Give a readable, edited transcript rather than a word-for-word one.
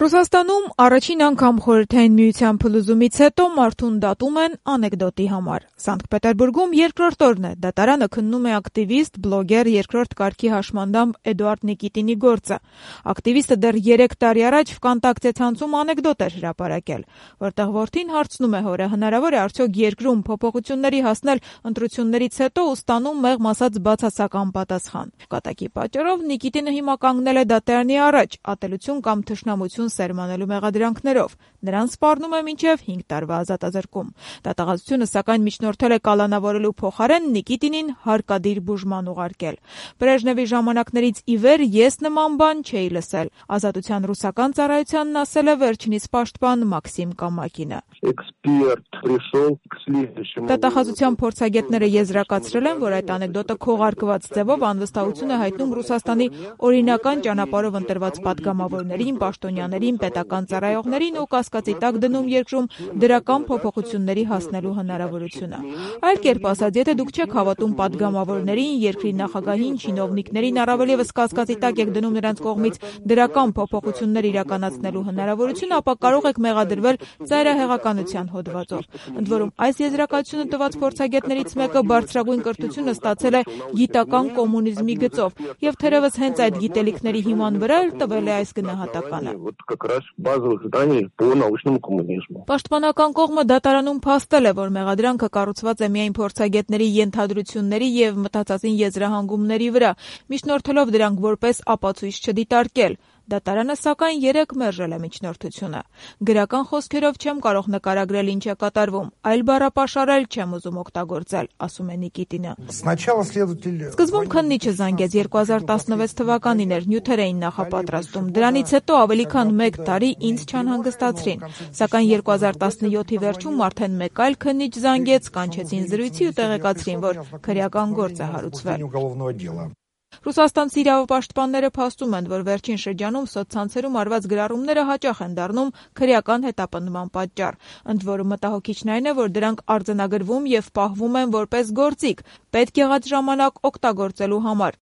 Ռուսաստանում առաջին անգամ Խորհրդային Միության փլուզումից հետո մարդուն դատում են անեկդոտի համար։ Սանկտ Պետերբուրգում երկրորդ օրն է դատարանը քննում է ակտիվիստ, բլոգեր, երկրորդ կարգի հաշմանդամ Էդուարդ Նիկիտինի գործը։ Ակտիվիստը դեռ 3 տարի առաջ Վկոնտակտե ցանցում անեկդոտ էր հրապարակել, որտեղ որդին հարցնում է հորը՝ հնարավոր է արդյոք երկրում փոփոխությունների հասնել ընտրություններից հետո ու ստանում մեղմ ասած բացասական պատասխան։ Կատակի պատճառով Նիկիտինը հիմա կանգնել է դատարանի առաջ՝ ատելություն կամ թշնամություն սերմանելու մեղադրանքներով։ Նրան սպառնում է մինչև 5 տարվա ազատազրկում։ Դատախազությունը սակայն միջնորդել է կալանավորելու փոխարեն Նիկիտինին հարկադիր բուժման ուղարկել։ Բրեժնևի ժամանակներից ի վեր ես նման բան չէի լսել, Ազատության ռուսական ծառայությանն ասել է վերջինիս պաշտպան Մաքսիմ Կամակինը։ Դատախազության փորձագետները եզրակացրել են, որ այդ անեկդոտը քողարկված ձևով անվստահություն է հայտնում Ռուսաստանի օրինական ճանապարհով ընտրված պատգամավորներին, պաշտոնյաներին, պետական ծառայողներին ու կասկածի տակ դնում երկրում դրական փոփոխությունների հասնելու հնարավորությունը։ Այլ կերպ ասած, եթե դուք չեք հավատում պատգամավորներին, երկրի նախագահին, չինովնիկներին, առավել ևս կասկածի տակ եք դնում նրանց կողմից դրական փոփոխություններ իրականացնելու հնարավորություն, ապա կարող եք մեղադրվել ծայրահեղականության հոդվածով։ Ընդ որում, այս եզրակացությունը տված փորձագետներից մեկը բարձրագույն կրթությունը ստացել է գիտական կոմունիզմի գծով եւ թերեւս հենց այդ գիտելիքների հիման վրա էլ տվել է այս գնահատականը։ Պաշտպանական կողմը դատարանում փաստել է, որ մեղադրանքը կառուցված է միայն փորձագետների ենթադրությունների եւ մտածածին եզրահանգումների վրա, միջնորդելով դրանք որպես ապացույց չդիտարկել։ Դատարանը սակայն 3 մերժել է միջնորդությունը։ Գրական խոսքերով չեմ կարող նկարագրել ինչ է կատարվում, այլ բառապաշարել չեմ ուզում օգտագործել, ասում է Նիկիտինը։ Սկզբում քննիչը զանգեց 2016 թվականին էր, նյութեր էին նախապատրաստում։ Դրանից հետո ավելի քան 1 տարի ինձ չանհանգստացրին, սակայն 2017-ի վերջում արդեն մեկ այլ քննիչ զանգեց, կանչեցին զրույցի ու տեղեկացրին, որ քրեական գործ է հարուցվել։ Ռուսաստանցի իրավապաշտպանները փաստում են, որ վերջին շրջանում սոցցանցերում արված գրառումները հաճախ են դառնում քրեական հետապնդման պատճառ։ Ընդ որում մտահոգիչն այն է, որ դրանք արձանագրվում եւ պահվում են որպես գործիք, պետք եղած ժամանակ օգտագործելու համար,